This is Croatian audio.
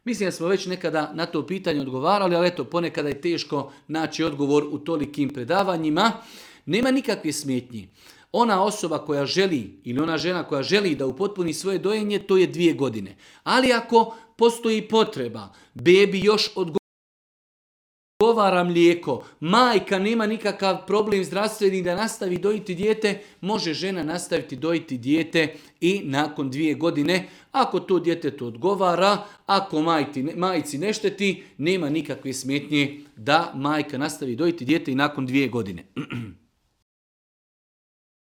Mislim da smo već nekada na to pitanje odgovarali, ali eto, ponekada je teško naći odgovor u tolikim predavanjima. Nema nikakve smetnji. Ona osoba koja želi ili ona žena koja želi da upotpuni svoje dojenje, to je 2 godine. Ali ako postoji potreba, bebi još odgovara mlijeko, majka nema nikakav problem zdravstveni da nastavi dojiti dijete, može žena nastaviti dojiti dijete i nakon 2 godine. Ako to djetetu odgovara, ako majci ne šteti, nema nikakve smetnje da majka nastavi dojiti dijete i nakon 2 godine.